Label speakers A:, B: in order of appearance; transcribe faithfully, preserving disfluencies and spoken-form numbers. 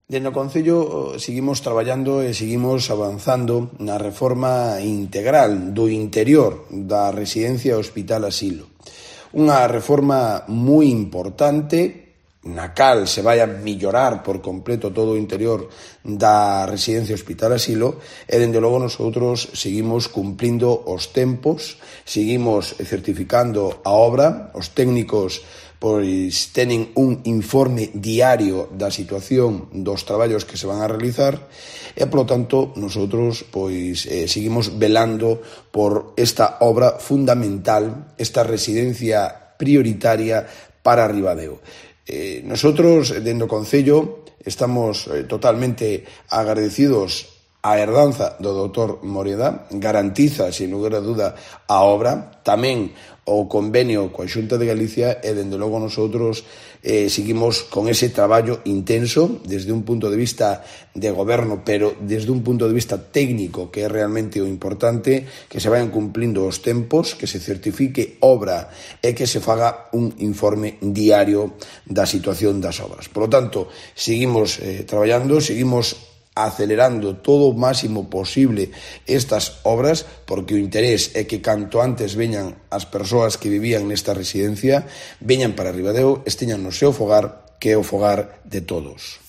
A: Dende o Concello seguimos traballando e seguimos avanzando na reforma integral do interior da residencia Hospital Asilo. Unha reforma moi importante na cal se vai a mellorar por completo todo o interior da residencia Hospital Asilo e, dende logo, nosotros seguimos cumplindo os tempos, seguimos certificando a obra, os técnicos pois tenen un informe diario da situación dos traballos que se van a realizar e, polo tanto, nosotros pois eh, seguimos velando por esta obra fundamental, esta residencia prioritaria para Ribadeo. Eh, nosotros, dentro do Concello, estamos eh, totalmente agradecidos a herdanza do doutor Moreda, garantiza, sin lugar a duda, a obra, tamén o convenio coa Xunta de Galicia e, dende logo, nosotros eh, seguimos con ese traballo intenso desde un punto de vista de goberno, pero desde un punto de vista técnico, que é realmente o importante, que se vayan cumplindo os tempos, que se certifique obra e que se faga un informe diario da situación das obras. Por lo tanto, seguimos eh, traballando, seguimos acelerando todo o máximo posible estas obras, porque o interés é que canto antes veñan as persoas que vivían nesta residencia, veñan para Ribadeo, esteñan no seu fogar, que é o fogar de todos.